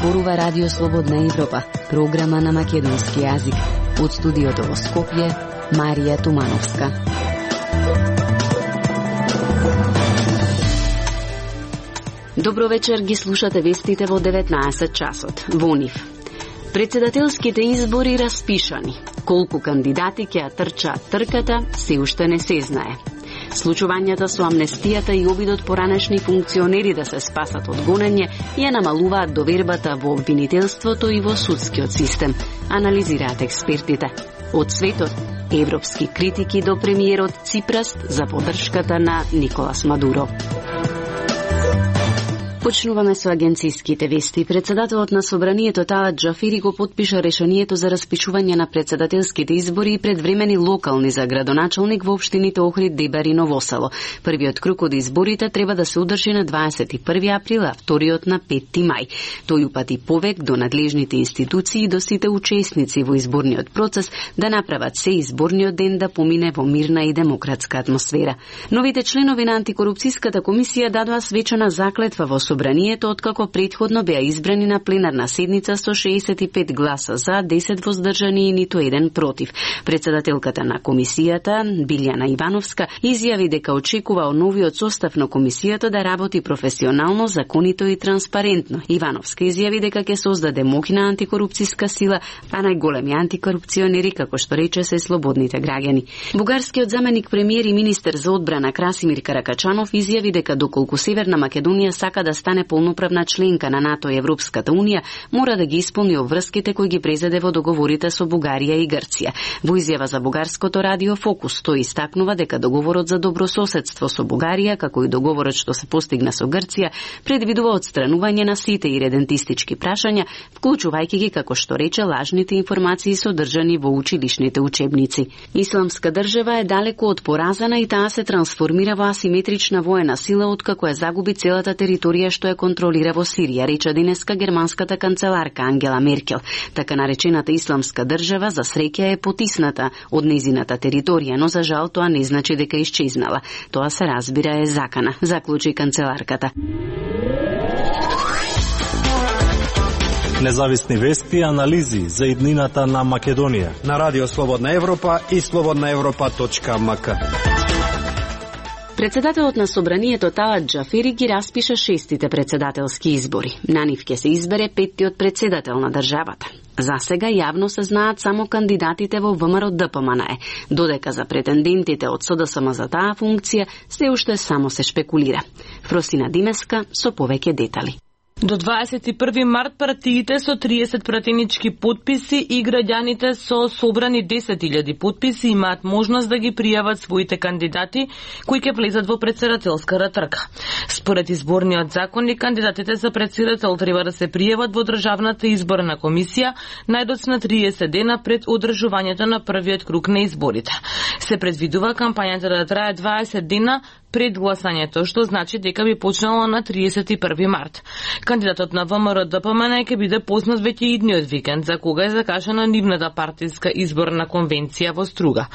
зборува Радио Слободна Европа, програма на македонски јазик. Од студиото во Скопје, Марија Тумановска. Добро вечер, ги слушате вестите во 19 часот. Во нив. Председателските избори распишани. Колку кандидати ќе ја трчаат трката, се уште не се знае. Случувањата со амнестијата и обидот поранешни функционери да се спасат од гонење ја намалуваат довербата во обвинителството и во судскиот систем, анализираат експертите. Од светот, европски критики до премиерот Ципрас за поддршката на Николас Мадуро. Почнуваме со агенцијските вести. Председателот на Собранието Талат Џафери го потпиша решението за распишување на председателските избори и предвремени локални за градоначалник во општините Охрид, Дебар и Ново Село. Првиот круг од изборите треба да се одржи на 21 април, а вториот на 5 мај. Тој упати повик до надлежните институции и до сите учесници во изборниот процес да направат се изборниот ден да помине во мирна и демократска атмосфера. Новите членови на антикорупцијската комисија дадоа свечена заклетва во Собранието, откако претходно беа избрани на пленарна седница со 65 гласа за, 10 воздржани и ниту еден против. Председателката на комисијата, Билјана Ивановска, изјави дека очекува од новиот состав на комисијата да работи професионално, законито и транспарентно. Ивановска изјави дека ќе создаде моќна антикорупцијска сила, а најголеми антикорупционери, како што рече, се слободните граѓани. Бугарскиот заменик премиер и министер за одбрана Красимир Каракачанов изјави дека доколку Северна Македонија сака да стане полноправна членка на НАТО и Европската Унија, мора да ги исполни обврските кои ги презеде во договорите со Бугарија и Грција. Во изјава за бугарското радио Фокус, тој истакнува дека договорот за добрососедство со Бугарија, како и договорот што се постигна со Грција, предвидува отстранување на сите иредентистички прашања, вклучувајќи ги, како што рече, лажните информации содржани во училишните учебници. Исламска држава е далеку од поразена и таа се трансформира во асиметрична воена сила откако ја загуби целата територија што ја контролира во Сирија, рече денеска германската канцеларка Ангела Меркел. Така наречената исламска држава за среќа е потисната од нејзината територија, но за жал тоа не значи дека исчезнала. Тоа се разбира е закана, заклучи канцеларката. Независни вести и анализи за иднината на Македонија на Радио Слободна Европа и slobodnaevropa.mk. Председателот на Собранието Талат Џафери ги распиша 6-тите председателски избори. На нив ќе се избере 5-тиот председател на државата. За сега јавно се знаат само кандидатите во ВМРО ДПМНЕ, додека за претендентите од СДСМ за таа функција се уште само се шпекулира. Фросина Димеска со повеќе детали. До 21 март партиите со 30 пратенички потписи и граѓаните со собрани 10.000 потписи имаат можност да ги пријават своите кандидати кои ќе влезат во председателската трка. Според изборниот законник, кандидатите за председател треба да се пријават во Државната изборна комисија најдоцна 30 дена пред одржувањето на првиот круг на изборите. Се предвидува кампањата да трае 20 дена пред гласањето, што значи дека би почнало на 31 март. Кандидатот на ВМРО ДПМН ќе биде познат веќе идниот викенд, за кога е закажана нивната партиска изборна конвенција во Струга.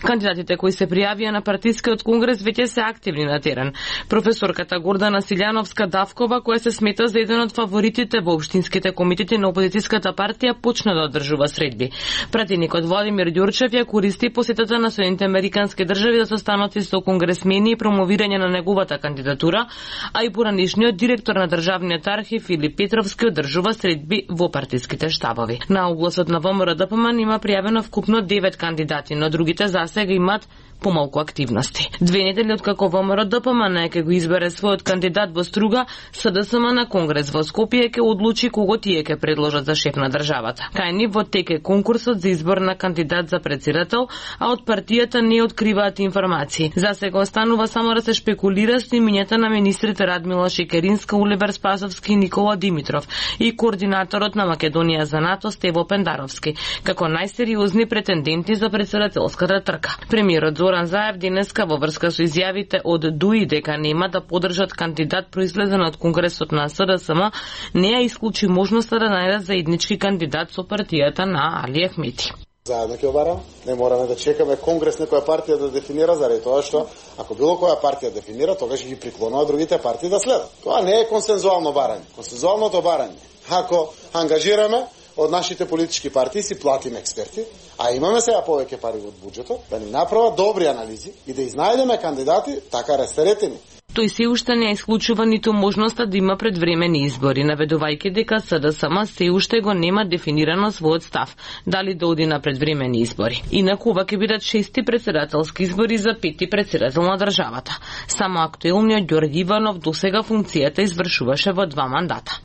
Кандидатите кои се пријавија на партискиот конгрес веќе се активни на терен. Професорката Гордана Силјановска-Давкова, која се смета за еден од фаворитите во општинските комитети на опозицијската партија, почна да одржува средби. Пратеникот Владимир Ѓурчев ја користи посетата на Соединените американски држави да состаноти со конгресмени и промовирање на неговата кандидатура, а и поранешниот директор на Државниот архив Филип Петровски одржува средби во партиските штабови. На огласот на ВМРО ДПМН има пријавено вкупно 9 кандидати, но другите засега имаат помалку активности. 2 недели откако ВМРО ДПМН ќе го избере својот кандидат во Струга, СДСМ на Конгрес во Скопје ќе одлучи кого тие ќе предложат за шеф на државата. Кај нив во тек е конкурсот за избор на кандидат за претседател, а од партијата не откриваат информации. Засега останува само да се шпекулира со имињата на министрите Радмила Шекеринска, Оливер Спасовски и Никола Димитров и координаторот на Македонија за НАТО Стево Пендаровски, како најсериозни претенденти за председателската трка. Премиерот Зоран Заев денеска во врска со изјавите од ДУИ дека нема да поддржат кандидат произлезен од Конгресот на СДСМ, не ја исклучи можноста да најдат заеднички кандидат со партијата на Али Ахмети. Заедно ќе обарам, не мораме да чекаме Конгрес некоја партија да дефинира, заради тоа што ако било која партија дефинира, тогаш ги приклонува другите партии да следат. Тоа не е консензуално барање. Консензуалното барање ако ангажираме од нашите политички партии, си платиме експерти, а имаме сега повеќе пари од буџетот, да ни направат добри анализи и да изнајдеме кандидати така растеретени. Тој се уште не исклучува ниту можноста да има предвремени избори, наведувајќи дека СДСМ се уште го нема дефинирано својот став, дали да оди на предвремени избори. Инаку ова ќе бидат 6-ти председателски избори за 5-ти председател на државата. Само актуелниот Ѓорги Иванов досега функцијата извршуваше во 2 мандата.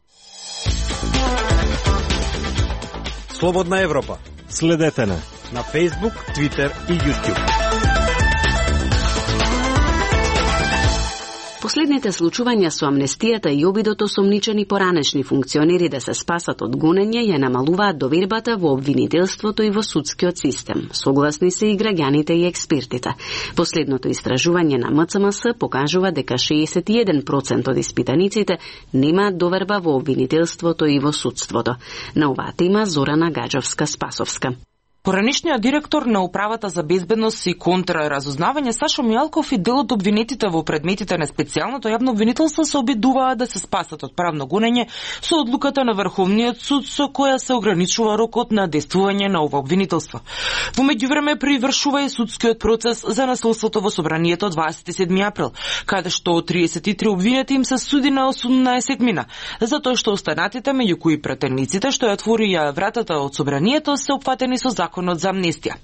Слободна Европа. Следете на Facebook, Twitter и YouTube. Последните случувања со амнестијата и обидот осомничени поранешни функционери да се спасат од гонење ја намалуваат довербата во обвинителството и во судскиот систем. Согласни се и граѓаните и експертите. Последното истражување на МЦМС покажува дека 61% од испитаниците немаат доверба во обвинителството и во судството. На оваа тема Зорана Гаџовска-Спасовска. Поранишниот директор на Управата за безбедност и контраразузнавање Сашо Мијалков и дел од обвинетите во предметите на специјалното јавно обвинителство се обидуваат да се спасат од правно гонење со одлуката на Врховниот суд со која се ограничува рокот на действување на ова обвинителство. Во меѓувреме привршува и судскиот процес за насилството во собранието 27 април, каде што 33 обвинети им се суди на 18 мина, затоа што останатите, меѓу кои претениците што ја отворија вратата од собранието, се опфатени со законот за амнестија.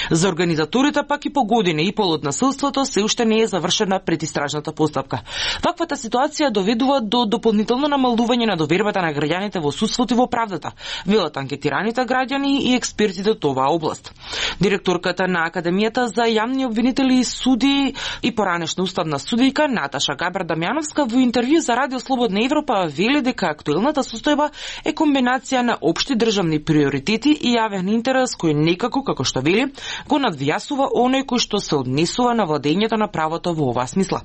За организаторите пак и по година и пол од насилството се уште не е завршена предистражната постапка. Ваквата ситуација доведува до дополнително намалување на довербата на граѓаните во судството и во правдата, велат анкетираните граѓани и експертите од оваа област. Директорката на Академијата за јавни обвинители и суди и поранешна уставна судијка Наташа Габар-Дамјановска во интервју за Радио Слободна Европа вели дека актуелната состојба е комбинација на општи државни приоритети и јавен интерес кој некако, како што вели, го надвијасува оној кој што се однесува на владењето на правото во оваа смисла.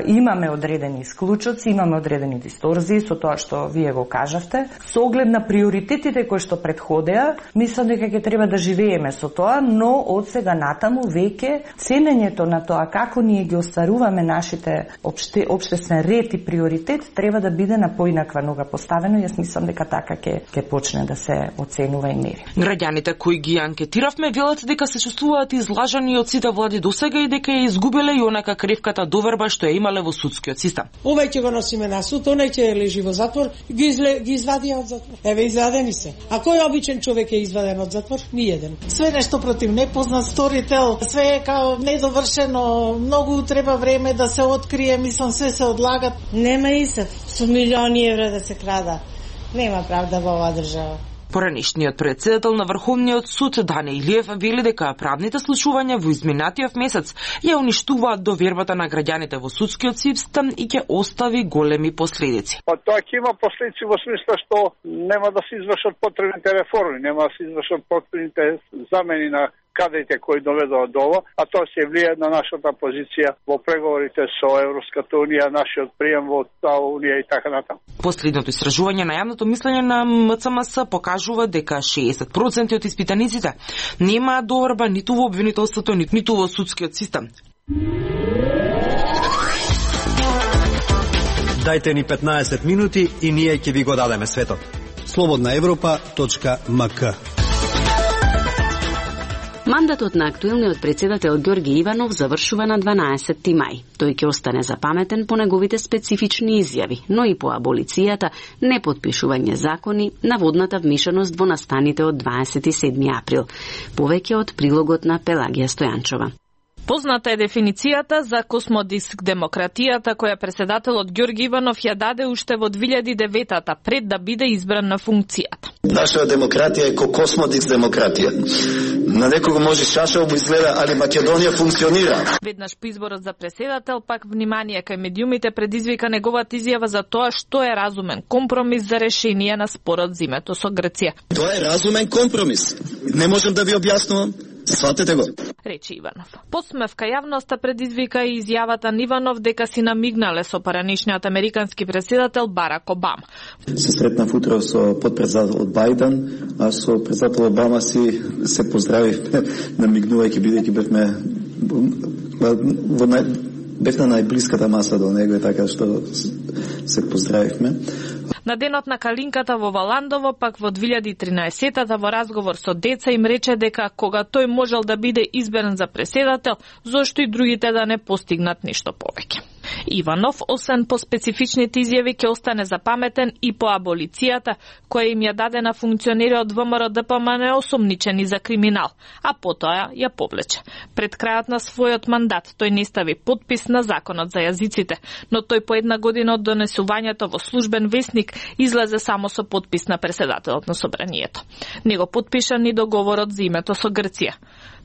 Имаме одредени исклучоци, имаме одредени дисторзии со тоа што вие го кажавте. Со оглед на приоритетите кои што предходеа, мислам дека ќе треба да живееме со тоа, но од сега натаму веќе ценењето на тоа како ние ги остваруваме нашите општествен ред и приоритет треба да биде на поинаква нога поставено. Јас мислам дека така ќе почне да се оценува и мери. Граѓаните кои ги анкетиравме велат дека се чувствуваат излажани од сите влади досега и дека ја изгубиле и онака кревката доверба што ја имале во судскиот систем. Овај ќе го носиме на суд, онај ќе лежи во затвор, ги извадија од затвор. Еве извадени се. А кој обичен човек е изваден од затвор? Ниеден. Све нешто против непознат сторител, све е као недовршено, многу треба време да се открие, мислам све се одлагат. Нема исев, со милиони евра да се крада. Нема правда во оваа држава. Поранишниот председател на Врховниот суд Дане Илиев вели дека правните случувања во изминатиот месец ја уништуваат довербата на граѓаните во судскиот систем и ќе остави големи последици. Тоа ќе има последици во смисла што нема да се извршат потребните реформи, нема да се извршат потребните замени на кадрите кои доведува до ова, а тоа се влие на нашата позиција во преговорите со Европската унија, нашиот прием во таа унија и така натаму. Последното истражување на јавното мислење на МЦМС покажува дека 60% од испитаниците немаат доверба ниту во обвинителството, ниту во судскиот систем. Дајте ни 15 минути и ние ќе ви го дадеме светот. slobodnaevropa.mk. Мандатот на актуелниот председател Ѓорги Иванов завршува на 12 мај. Тој ќе остане запаметен по неговите специфични изјави, но и по аболицијата, непотпишување закони, наводната вмешаност во настаните од 27 април. Повеќе од прилогот на Пелагија Стојанчова. Позната е дефиницијата за космодиск демократијата која председателот Ѓорги Иванов ја даде уште во 2009-та пред да биде избран на функцијата. Наша демократија е ко космодиск демократија. На некого може шашалбо изгледа, али Македонија функционира. Веднаш по изборот за председател, пак внимание кај медиумите предизвика неговата изјава за тоа што е разумен компромис за решение на спорот зимето со Грција. Тоа е разумен компромис. Не можам да ви објаснувам. Сватете го. Речи Иванов. Посмевка јавноста предизвика и изјавата на Иванов дека си намигнале со поранишниот американски председател Барак Обама. Се сретнав утро со подпредседателот Бајден, а со председател Обама се поздравивме, намигнувајќи бидејќи бевме на најблиската маса до него, така што се поздравивме. На денот на Калинката во Валандово, пак во 2013-та во разговор со деца им рече дека кога тој можел да биде изберен за преседател, зошто и другите да не постигнат нешто повеќе. Иванов, освен по специфичните изјави, ќе остане запаметен и по аболицијата, која им ја даде на функционери од ВМРО ДПМН осомничени за криминал, а потоа ја повлече. Пред крајот на својот мандат тој не стави подпис на законот за јазиците, но тој по една година од донесувањето во службен весник излезе само со подпис на преседателот на собранието. Не го потпиша ни договорот за името со Грција.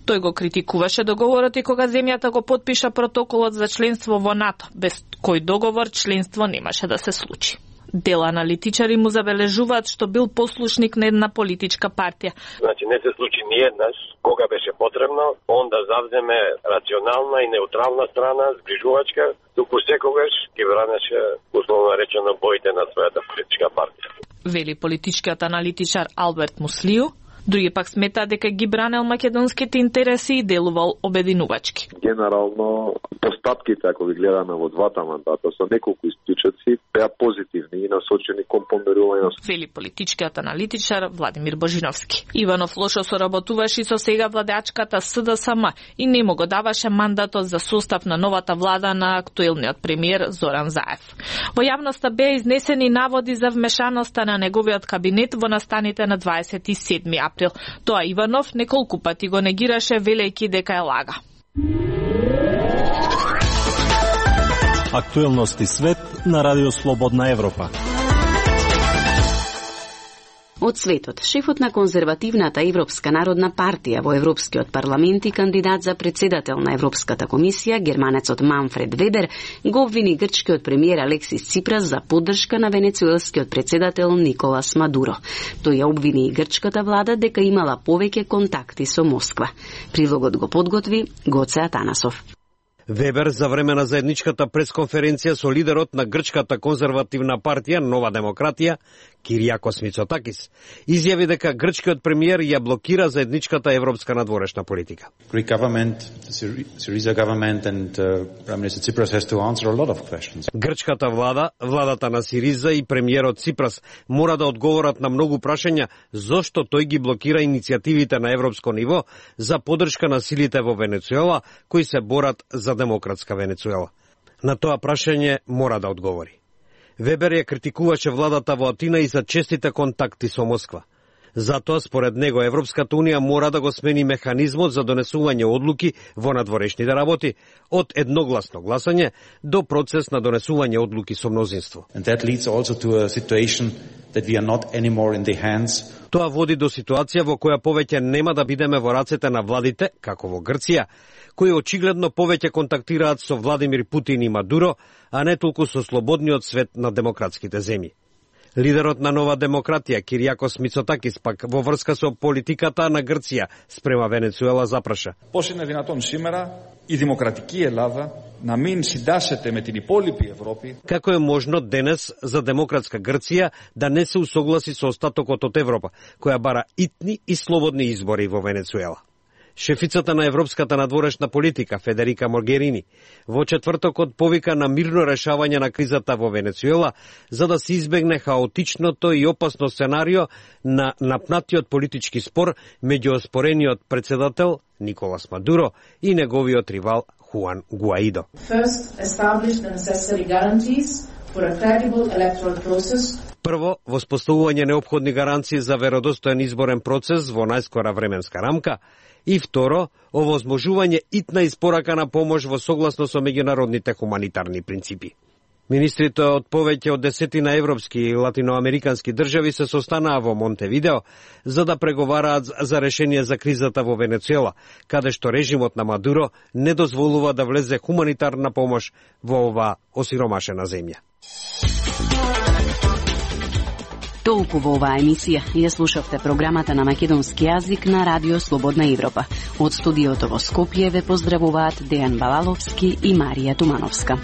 Тој го критикуваше договорот и кога земјата го потпиша протоколот за членство во НАТО, без кој договор членство немаше да се случи. Дел аналитичари му забележуваат што бил послушник на една политичка партија. Значи не се случи ниеднаш, кога беше потребно, он да завземе рационална и неутрална страна, згрижувачка, туку секогаш ги бранеше, условно речено, боите на својата политичка партија. Вели политичкиот аналитичар Алберт Муслију. Други пак сметаат дека ги бранел македонските интереси и делувал обединувачки. Генерално, постапките, ако ги гледаме во двата мандата, со неколку исклучоци, беа позитивни и насочени кон помирување. Вели политичкиот аналитичар Владимир Божиновски. Иванов лошо соработуваше и со сега владеачката СДСМ и не му го даваше мандатот за состав на новата влада на актуелниот премиер Зоран Заев. Во јавноста беа изнесени наводи за вмешаноста на неговиот кабинет во настаните на 27 април. Тоа Иванов неколку пати го негираше, велејќи дека е лага. Актуелности свет на Радио Слободна Европа. Од светот, шефот на конзервативната Европска народна партија во Европскиот парламент и кандидат за председател на Европската комисија, германецот Манфред Вебер, го обвини грчкиот премиер Алексис Ципрас за поддршка на венецуелскиот председател Николас Мадуро. Тој ја обвини и грчката влада дека имала повеќе контакти со Москва. Прилогот го подготви Гоце Атанасов. Вебер за време на заедничката пресконференција со лидерот на грчката конзервативна партија Нова демократија, Кириакос Мицотакис, изјави дека грчкиот премиер ја блокира заедничката европска надворешна политика. Greek government, Syriza government and Prime Minister Tsipras has to answer a lot of questions. Грчката влада, владата на Сириза и премиерот Ципрас мора да одговорат на многу прашања зошто тој ги блокира иницијативите на европско ниво за поддршка на силите во Венецуела кои се борат за демократска Венецуела. На тоа прашање мора да одговори. Вебер ја критикуваше владата во Атина и за честите контакти со Москва. Затоа, според него, Европската Унија мора да го смени механизмот за донесување одлуки во надворешните работи, од едногласно гласање до процес на донесување одлуки со мнозинство. Тоа води до ситуација во која повеќе нема да бидеме во рацете на владите, како во Грција, кои очигледно повеќе контактираат со Владимир Путин и Мадуро, а не толку со слободниот свет на демократските земји. Лидерот на Нова демократија, Кириакос Мицотакис, пак во врска со политиката на Грција спрема Венецуела запраша. Πώς είναι δυνατόν σήμερα η δημοκρατική Ελλάδα να μην συντάσσεται με την υπόλοιπη Ευρώπη? Како е можно денес за демократска Грција да не се усогласи со остатокот од Европа, која бара итни и слободни избори во Венецуела? Шефицата на европската надворешна политика Федерика Могерини во четвртокот повика на мирно решавање на кризата во Венецуела за да се избегне хаотичното и опасно сценарио на напнатиот политички спор меѓу оспорениот председател Николас Мадуро и неговиот ривал Хуан Гуаидо. Прво, воспоставување неопходни гаранции за веродостоен изборен процес во најскора временска рамка, и второ, овозможување итна испорака на помош во согласно со меѓународните хуманитарни принципи. Министрите од повеќе од 10 европски и латиноамерикански држави се состанаа во Монтевидео за да преговараат за решение за кризата во Венецуела, каде што режимот на Мадуро не дозволува да влезе хуманитарна помош во оваа осиромашена земја. Толку во оваа емисија. Ја слушавте програмата на македонски јазик на Радио Слободна Европа. Од студиото во Скопје ве поздравуваат Дејан Балаловски и Марија Тумановска.